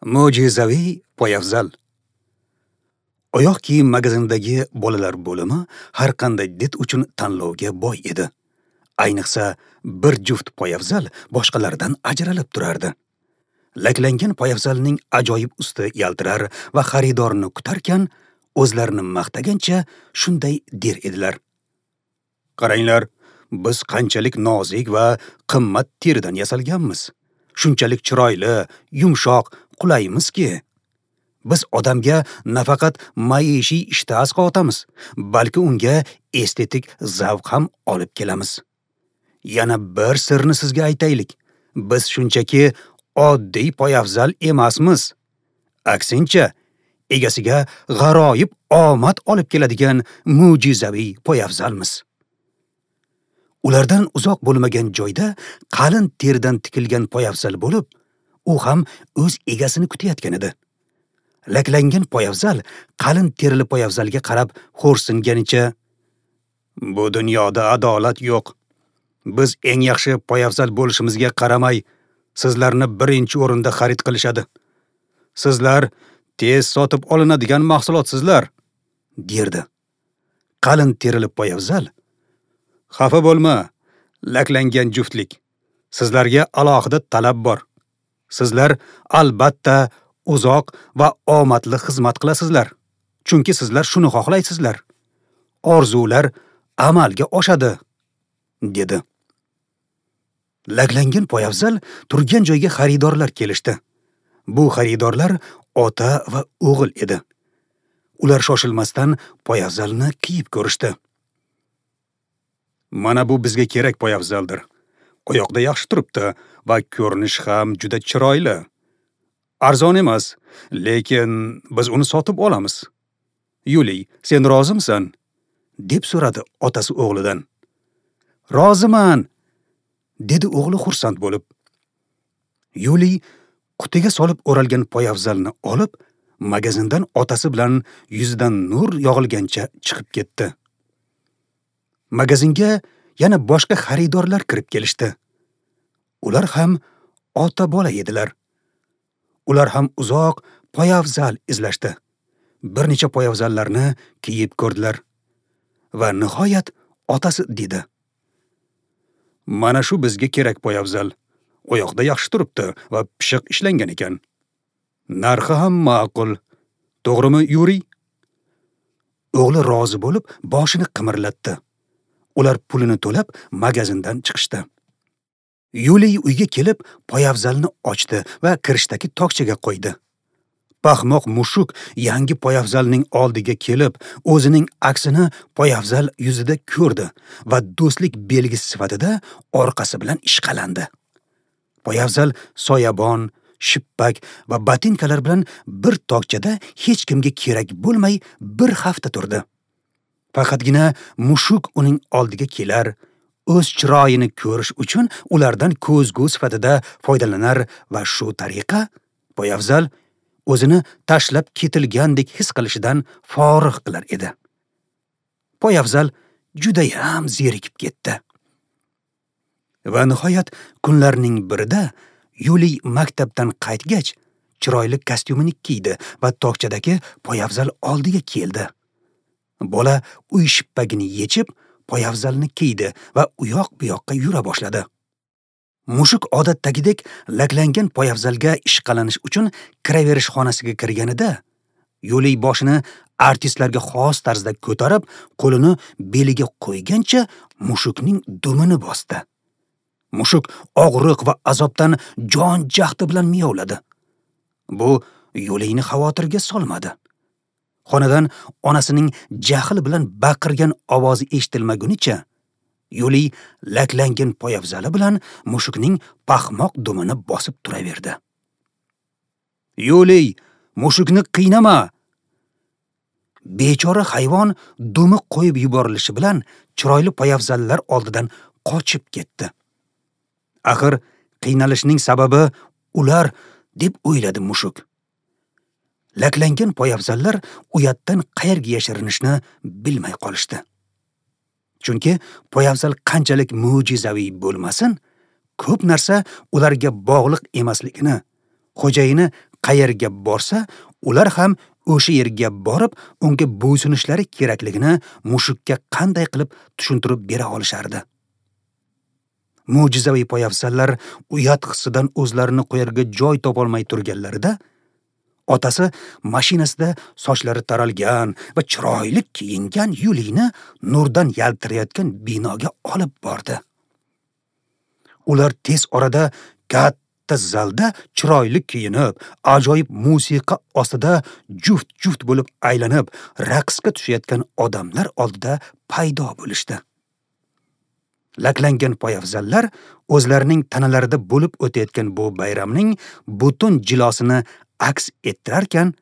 Mo'jizaviy poyafzal. Oyoq kiyim magazinidagi bolalar bo'limi har qanday did uchun tanlovga boy edi. Ayniqsa, bir juft poyafzal boshqalardan ajralib turardi. Laklangan poyafzalning ajoyib usti yaltirar va xaridorni kutarkan, o'zlarini maqtagancha shunday der edilar: Qaranglar, biz qanchalik nozik va qimmat teridan yasalganmiz. Shunchalik chiroyli, yumshoq, qulaymizki, biz odamga nafaqat maishiy ishtaha asqotamiz, balki unga estetik zavq ham olib kelamiz. Yana bir sirni sizga aytaylik. Biz shunchaki oddiy poyafzal emasmiz. Aksincha, egasiga g'aroyib omad olib keladigan mo'jizaviy poyafzalmiz. Ulardan uzoq bo'lmagan joyda qalin teridan tikilgan poyafzal bo'lib, u ham o'z egasini kutayotgan edi. Laklangan poyafzal qalin terili poyafzalga qarab xo'rsinganicha, "Bu dunyoda adolat yo'q. Biz eng yaxshi poyafzal bo'lishimizga qaramay, sizlarni birinchi o'rinda xarid qilishadi. Sizlar tez sotib olinadigan mahsulotsizlar", derdi. Qalin terili poyafzal: "Xafa bo'lma, laklangan juftlik. Sizlarga alohida talab bor. Sizlar albatta uzoq va omadli xizmat qilasizlar. Chunki sizlar shuni xohlaysizlar. Orzular amalga oshadi", dedi. Laklangan poyafzal turgan joyga xaridorlar kelishdi. Bu xaridorlar ota va o'g'il edi. Ular shoshilmasdan poyafzalni kiyib ko'rishdi. "Mana bu bizga kerak poyafzaldir. Oyoqda yaxshi turibdi va ko'rinish ham juda chiroyli. Arzon emas, lekin biz uni sotib olamiz. Yuliy, sen rozimisan?" deb so'radi otasi o'g'lidan. "Roziman", dedi o'g'li xursand bo'lib. Yuliy qutiga solib o'ralgan poyafzalni olib, magazindan otasi bilan yuzidan nur yog'ilgancha chiqib ketdi. Magazinga yana boshqa xaridorlar kirib kelishdi. Ular ham ota-bola edilar. Ular ham uzoq poyafzal izlashdi. Bir necha poyafzallarni kiyib ko'rdilar. Va nihoyat otasi dedi: "Mana shu bizga kerak poyafzal. Oyoqda yaxshi turibdi va pishiq ishlangan ekan. Narxi ham ma'qul. To'g'rimi, Yuriy?" O'g'li rozi bo'lib, boshini qimirlatdi. Ular pulini to'lab magazindan chiqishdi. Yuliy uyga kelib poyafzalni ochdi va kirishdagi tokchaga qo'ydi. Paxmoq mushuk yangi poyafzalning oldiga kelib, o'zining aksini poyafzal yuzida ko'rdi va do'stlik belgisi sifatida orqasi bilan ishqalandi. Poyafzal soyabon, shippak va botinkalar bilan bir tokchada hech kimga kerak bo'lmay bir hafta turdi. Faqatgina mushuk uning oldiga kelar, o'z chiroyini ko'rish uchun ulardan ko'zgu sifatida foydalanar va shu tariqa poyafzal o'zini tashlab ketilgandek his qilishidan forig' qilar edi. Poyafzal judayam zerikib ketdi. Va nihoyat kunlarning birida Yuliy maktabdan qaytgach, chiroyli kostyumini kiydi va tokchadagi poyafzal oldiga keldi. Bola uy shippagini yechib, poyafzalni kiydi va u yoq bu yoqqa yura boshladi. Mushuk odatdagidek laklangan poyafzalga ishqalanish uchun kiraverish xonasiga kirganida, Yuliy boshini artistlarga xos tarzda ko'tarib, qo'lini beliga qo'ygancha mushukning dumini bosdi. Mushuk og'riq va azobdan jon jahdi bilan miyovladi. Bu Yuliyni xavotirga solmadi. Xonadan onasining jahl bilan baqirgan ovozi eshitilmagunicha Yuliy laklangan poyafzali bilan mushukning paxmoq dumini bosib turaverdi. "Yuliy, mushukni qiynama!" Bechora hayvon dumi qo'yib yuborilishi bilan chiroyli poyafzallar oldidan qochib ketdi. Axir qiynalishning sababi ular, deb o'yladi mushuk. Laklangan poyafzallar uyatdan qayerga yashirinishni bilmay qolishdi. Chunki poyafzal qanchalik mo'jizaviy bo'lmasin, ko'p narsa ularga bog'liq emasligini, xo'jayini qayerga borsa, ular ham o'sha yerga borib, unga bo'ysunishlari kerakligini mushukka qanday qilib tushuntirib bera olishardi? Mo'jizaviy poyafzallar uyat hissidan o'zlarini qo'yarga joy topolmay turganlarida, otasi mashinasida sochlari taralgan va chiroyli kiyingan Yuliyni nurdan yaltirayotgan binoga olib bordi. Ular tez orada katta zalda chiroyli kiyinib, ajoyib musiqa ostida juft-juft bo'lib aylanib, raqsga tushayotgan odamlar oldida paydo bo'lishdi. Laklangan poyafzallar o'zlarining tanalarida bo'lib o'tayotgan bu bayramning butun jilosini aks ettirarkan,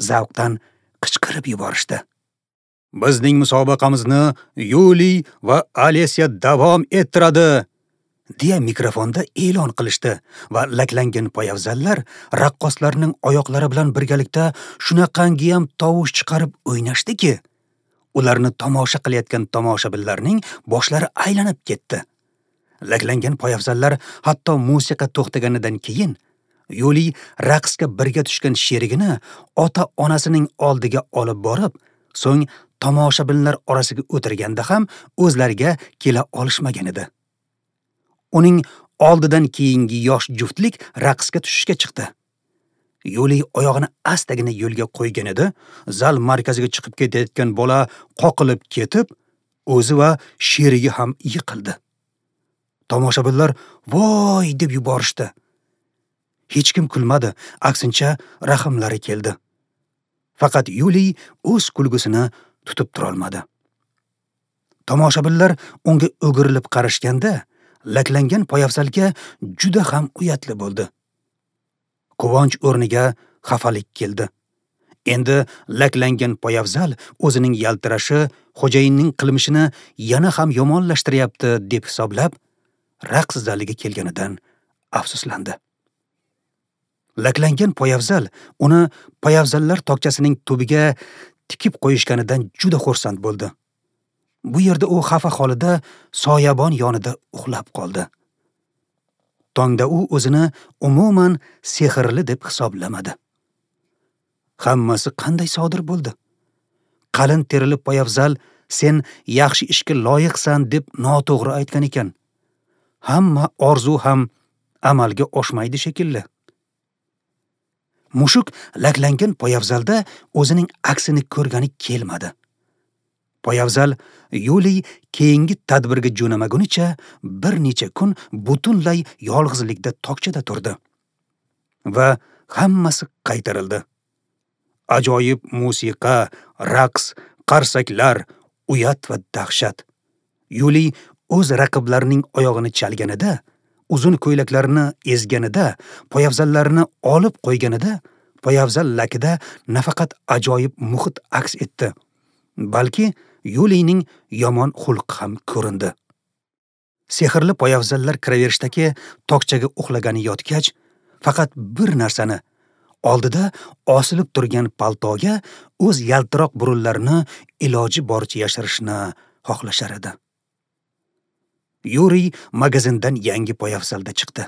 zavqdan qichqirib yuborishdi. Bizning musobaqamizni Yuliy va Alesya davom ettiradi, deya mikrofonda e'lon qilishdi va laklangan poyafzallar raqqoslarning oyoqlari bilan birgalikda shunaqangiyam tovush chiqarib o'ynashdiki, ularni tomosha qilayotgan tomoshabinlarning boshlari aylanib ketdi. Laklangan poyafzallar hatto musiqa to'xtaganidan keyin Yuliy raqsga birga tushgan sherigini ota-onasining oldiga olib borib, so'ng tomoshabinlar orasiga o'tirganda ham o'zlariga kela olishmagan edi. Uning oldidan keyingi yosh juftlik raqsga tushishga chiqdi. Yuliy oyog'ini astagina yo'lga qo'ygan edi, zal markaziga chiqib ketayotgan bola qoqilib ketib, o'zi va sherigi ham yiqildi. Tomoshabinlar voy deb yuborishdi. Hech kim kulmadi, aksincha rahmlari keldi. Faqat Yuliy o'z kulgusini tutib turolmadi. Tomoshabinlar unga o'girilib qarashganda, laklangan poyafzalga juda ham uyatli bo'ldi. Quvonch o'rniga xafalik keldi. Endi laklangan poyafzal o'zining yaltirashi xo'jayinning qilmishini yana ham yomonlashtiryapti deb hisoblab, raqs zaliga kelganidan afsuslandi. Laklangan poyafzal uni poyafzallar tokchasining tubiga tikib qo'yishganidan juda xursand bo'ldi. Bu yerda u xafa holida soyabon yonida uxlab qoldi. Tongda u o'zini umuman sehrli deb hisoblamadi. Hammasi qanday sodir bo'ldi? Qalin terili poyafzal sen yaxshi ishga loyiqsan deb noto'g'ri aytgan ekan. Hamma orzu ham amalga oshmaydi shekilli. Mushuk laklangan poyafzalda o'zining aksini ko'rgani kelmadi. Poyafzal Yuliy keyingi tadbirga jo'namagunicha bir necha kun butunlay yolg'izlikda tokchada turdi. Va hammasi qaytarildi. Ajoyib musiqa, raqs, qarsaklar, uyat va dahshat. Yuliy o'z raqiblarining oyog'ini chalganida, uzun ko'ylaklarini ezganida, poyafzallarini olib qo'yganida, poyafzal lakida nafaqat ajoyib muhit aks etdi, balki Yuliyning yomon xulqi ham ko'rindi. Sehrli poyafzallar kiraverishdagi tokchaga uxlagani yotgach, faqat bir narsani, oldida osilib turgan paltoga o'z yaltiroq burunlarini iloji boricha yashirishni xohlashar edi. Yuriy magazindan yangi poyafzalda chiqdi.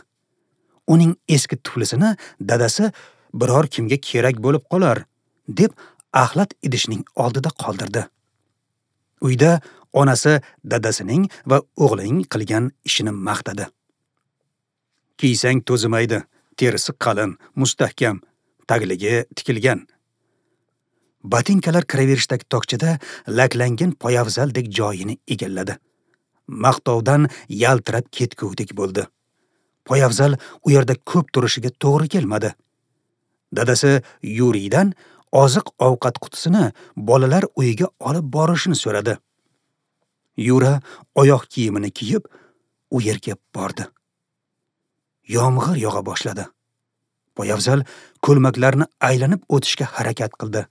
Uning eski tuflisini dadasi biror kimga kerak bo'lib qolar deb axlat idishning oldida qoldirdi. Uyda onasi dadasining va o'g'lining qilgan ishini maqtadi. Kiysang to'zimaydi, terisi qalin, mustahkam, tagligi tikilgan. Botinkalar kiraverishdagi tokchada laklangan poyafzaldek joyini egalladi. Maqtovdan yaltirab ketgudek bo'ldi. Poyafzal u yerda ko'p turishiga to'g'ri kelmadi. Dadasi Yuriydan oziq-ovqat qutisini bolalar uyiga olib borishini so'radi. Yura oyoq kiyimini kiyib u yerga bordi. Yomg'ir yog'a boshladi. Poyafzal ko'lmaklarni aylanib o'tishga harakat qildi.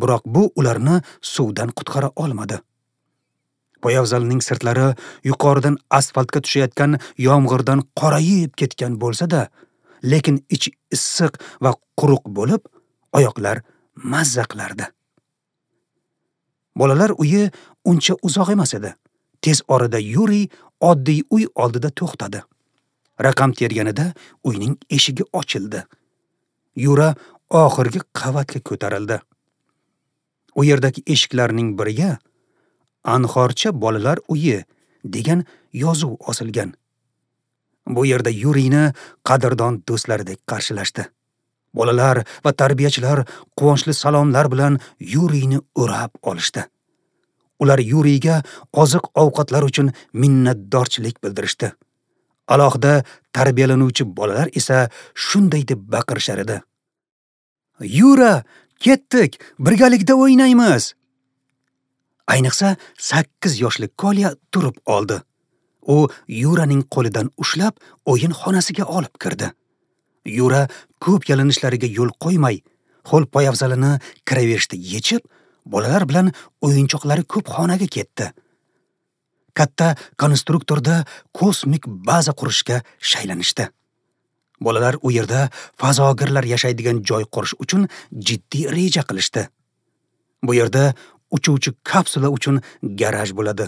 Biroq bu ularni suvdan qutqara olmadi. Poyafzalning sirtlari yuqoridan asfaltga tushayotgan yomg'irdan qorayib ketgan bo'lsa-da, lekin ichi issiq va quruq bo'lib, oyoqlar mazza qilardi. Bolalar uyi uncha uzoq emas edi. Tez orada Yuriy oddiy uy oldida to'xtadi. Raqam terganida uyning eshigi ochildi. Yura oxirgi qavatga ko'tarildi. U yerdagi eshiklarning biriga Anhorcha bolalar uyi degan yozuv osilgan. Bu yerda Yuriyni qadrdon do'stlaridek qarshilashdi. Bolalar va tarbiyachilar quvonchli salomlar bilan Yuriyni o'rab olishdi. Ular Yuriyga oziq-ovqatlar uchun minnatdorchilik bildirishdi. Alohida tarbiyalanuvchi bolalar esa shunday deb baqirishar edi: "Yura, ketdik, birgalikda o'ynaymiz!" Ayniqsa 8 yoshli Kolya turib oldi. U Yuraning qo'lidan ushlab o'yin xonasiga olib kirdi. Yura ko'p yalinishlariga yo'l qo'ymay, qo'l poyafzalini kiraverishda yechib, bolalar bilan o'yinchoqlari ko'p xonaga ketdi. Katta konstruktorda kosmik baza qurishga shaylanishdi. Bolalar u yerda fazogirlar yashaydigan joy qurish uchun jiddiy reja qilishdi. Bu yerda uchuvchi kapsula uchun garaj bo'ladi.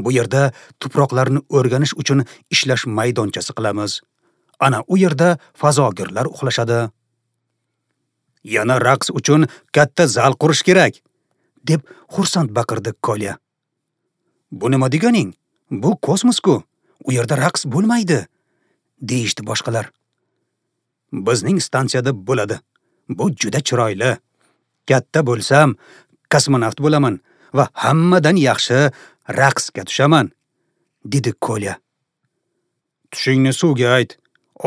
Bu yerda tuproqlarni o'rganish uchun ishlash maydonchasi qilamiz. Ana u yerda fazogirlar uxlashadi. Yana raqs uchun katta zal qurish kerak, deb xursand baqirdi Kolya. Bu nima deganing? Bu kosmos-ku. U yerda raqs bo'lmaydi, deyishdi boshqalar. Bizning stansiyada bo'ladi. Bu juda chiroyli. Katta bo'lsam, kosmonavt bo'laman va hammadan yaxshi raqsga tushaman, dedi Kolya. Tushingni suvga ayt.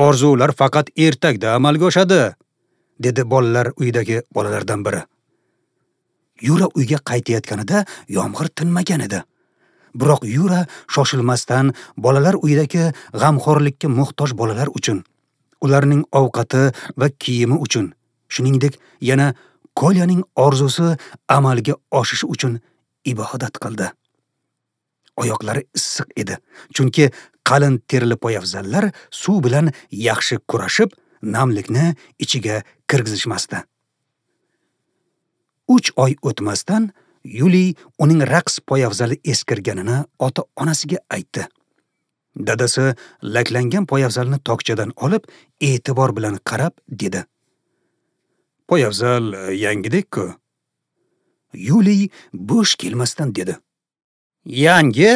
Orzular faqat ertakda amalga oshadi, dedi bolalar uyidagi bolalardan biri. Yura uyga qaytayotganida yomg'ir tinmagan edi. Biroq Yura shoshilmasdan bolalar uyidagi g'amxo'rlikka muhtoj bolalar uchun, ularning ovqati va kiyimi uchun, shuningdek yana Kolyaning orzusi amalga oshishi uchun ibodat qildi. Oyoqlari issiq edi, chunki qalin terili poyafzallar suv bilan yaxshi kurashib, namlikni ichiga kirgizishmasdi. 3 oy o'tmasdan Yuliy uning raqs poyafzali eskirganini ota-onasiga aytdi. Dadasi laklangan poyafzalni tokchadan olib, e'tibor bilan qarab dedi: "Poyafzal yangidek-ku." Yuliy bo'sh kelmasdan dedi: "Yangi?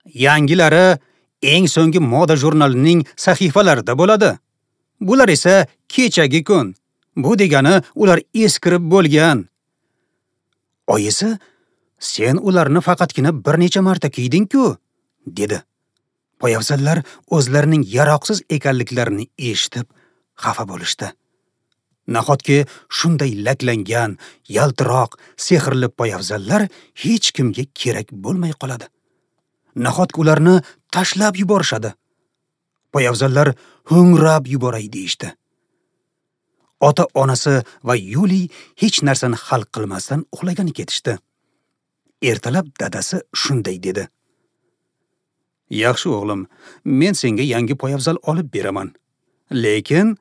Yangilari eng so'nggi moda jurnalining sahifalarida bo'ladi. Bular esa kechagi kun. Bu degani ular eskirib bo'lgan." Oyisi: "Sen ularni faqatgina bir necha marta kiyding-ku", dedi. Poyafzallar o'zlarining yaroqsiz ekanliklarini eshitib xafa bo'lishdi. Nahotki shunday laklangan, yaltiroq, sehrli poyafzallar hech kimga kerak bo'lmay qoladi. Nahotki ularni tashlab yuborishadi. Poyafzallar ho'ngrab yuboray deyishdi. Ota-onasi va Yuliy hech narsani hal qilmasdan uxlagani ketishdi. Ertalab dadasi shunday dedi: "Yaxshi o'g'lim, men senga yangi poyafzal olib beraman. Lekin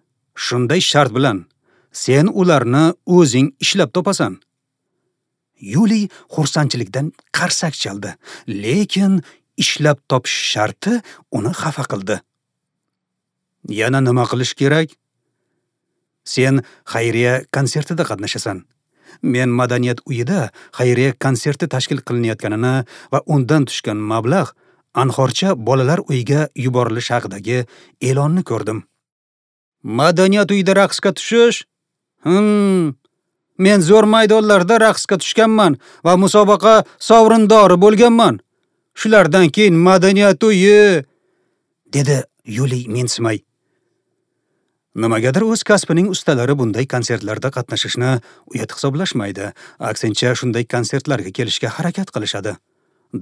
shunday shart bilan, sen ularni o'zing ishlab topasan." Yuliy xursandchilikdan qarsak chaldi, lekin ishlab topish sharti uni xafa qildi. Yana nima qilish kerak? Sen xayriya konsertida qatnashasan. Men madaniyat uyida xayriya konserti tashkil qilinayotganini va undan tushgan mablag' Anhorcha bolalar uyiga yuborilishi haqidagi e'lonni ko'rdim. Madaniyat uyida raqsga tushish? Men zo'r maydonlarda raqsga tushganman va musobaqa sovrindori bo'lganman. Shulardan keyin madaniyat uyi, dedi Yuliy mensimay. Nimagadir o'z kasbining ustalari bunday konsertlarda qatnashishni uyat hisoblashmaydi. Aksincha shunday konsertlarga kelishga harakat qilishadi.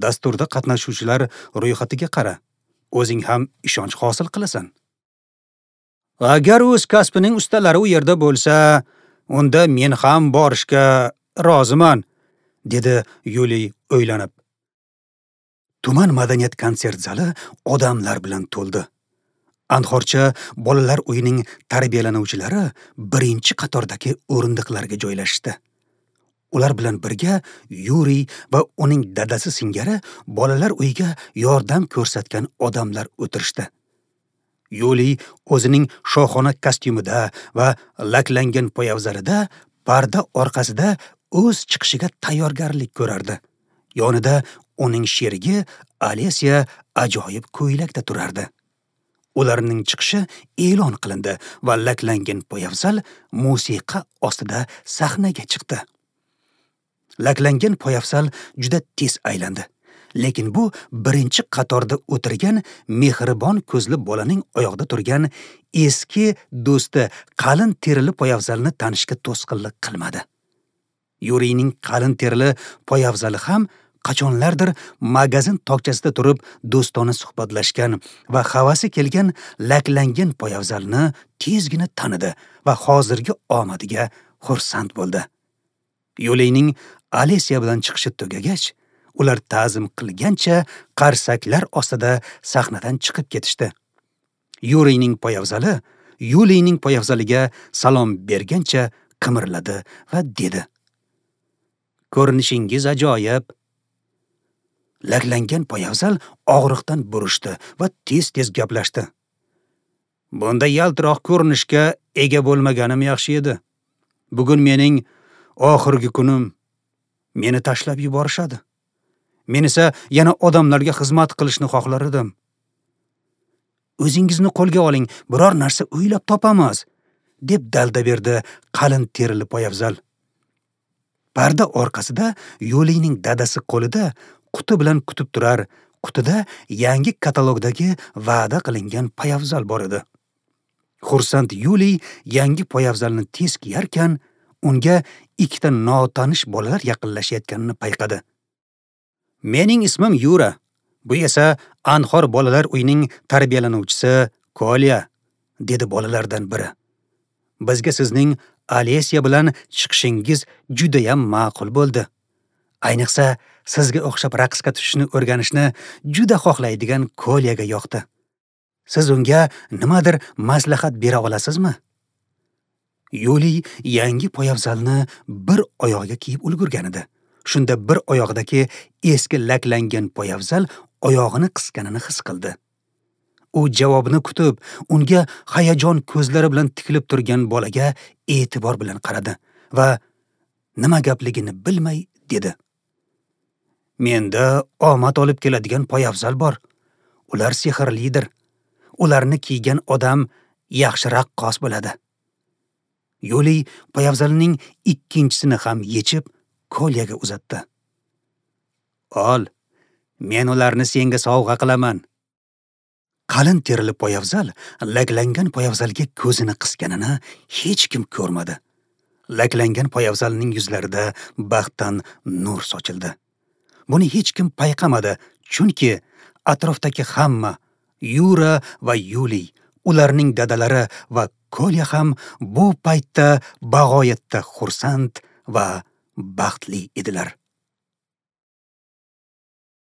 Dasturda qatnashuvchilar ro'yxatiga qara. O'zing ham ishonch hosil qilasan. Agar o'z kasbining ustalari u yerda bo'lsa, unda men ham borishga roziman, dedi Yuliy o'ylanib. Tuman madaniyat konsert zali odamlar bilan to'ldi. Anhorcha bolalar uyining tarbiyalanuvchilari birinchi qatorda o'rindiqlarga joylashdi. Ular bilan birga Yuriy va uning dadasi singari bolalar uyiga yordam ko'rsatgan odamlar o'tirishdi. Yuliy o'zining shohona kostyumida va laklangan poyabzalida parda orqasida o'z chiqishiga tayyorgarlik ko'rardi. Yonida uning sherigi Alesya ajoyib ko'ylakda turardi. Ularning chiqishi e'lon qilindi va laklangan poyabzal musiqa ostida sahnaga chiqdi. Laklangan poyabzal juda tez aylandi. Lekin bu birinchi qatorda o'tirgan mehribon ko'zli bolaning oyoqda turgan eski do'sti qalin terili poyabzalni tanishga to'sqinlik qilmadi. Yuriyning qalin terili poyabzali ham qachonlardir magazin tokchasida turib do'stona suhbatlashgan va havasi kelgan laklangan poyabzalni tezgina tanidi va hozirgi omadiga xursand bo'ldi. Yuliyning Alesya bilan chiqishi tugagach, ular ta'zim qilgancha qarsaklar ostida sahnadan chiqib ketishdi. Yuriyning poyabzali Yuliyning poyabzaliga salom bergancha qimirladi va dedi: "Ko'rinishingiz ajoyib." Laklangan poyabzal og'riqdan burishdi va tez-tez gaplashdi. "Bunda yaltiroq ko'rinishga ega bo'lmaganim yaxshi edi. Bugun mening oxirgi kunim. Meni tashlab yuborishadi. Men esa yana odamlarga xizmat qilishni xohlar edim. O'zingizni qo'lga oling, biror narsa o'ylab topamiz", deb dalda berdi qalin terili poyabzal. Parda orqasida Yuliyning dadasi qo'lida quti bilan kutib turar. Qutida yangi katalogdagi va'da qilingan poyabzal bor edi. Xursand Yuliy yangi poyabzalni tez kiyarkan, unga ikkita notanish bolalar yaqinlashayotganini payqadi. "Mening ismim Yura. Bu esa Anhor bolalar uyining tarbiyalanuvchisi Kolya", dedi bolalardan biri. "Bizga sizning Alesya bilan chiqishingiz juda ham ma'qul bo'ldi. Ayniqsa sizga o'xshab raqsga tushishni o'rganishni juda xohlaydigan Kolyaga yoqdi. Siz unga nimadir maslahat bera olasizmi?" Yuliy yangi poyabzalni bir oyog'iga kiyib ulgurgan edi. Shunda bir oyog'idagi eski laklangan poyabzal oyog'ini qisganini his qildi. U javobini kutib, unga hayajon ko'zlari bilan tikilib turgan bolaga e'tibor bilan qaradi va nima gapligini bilmay dedi: "Menda omad olib keladigan poyabzal bor. Ular sehrlidir. Ularni kiygan odam yaxshi raqqos bo'ladi." Yuliy poyabzalning ikkinchisini ham yechib Kolyaga uzatdi. "Ol, men ularni senga sovg'a qilaman." Qalin terili poyabzal laklangan poyabzalga ko'zini qisganini hech kim ko'rmadi. Laklangan poyabzalning yuzlarida baxtdan nur sochildi. Buni hech kim payqamadi, chunki atrofdagi hamma, Yura va Yuliy, ularning dadalari va Kolya ham bu paytda bag'oyatda xursand va baxtli edilar.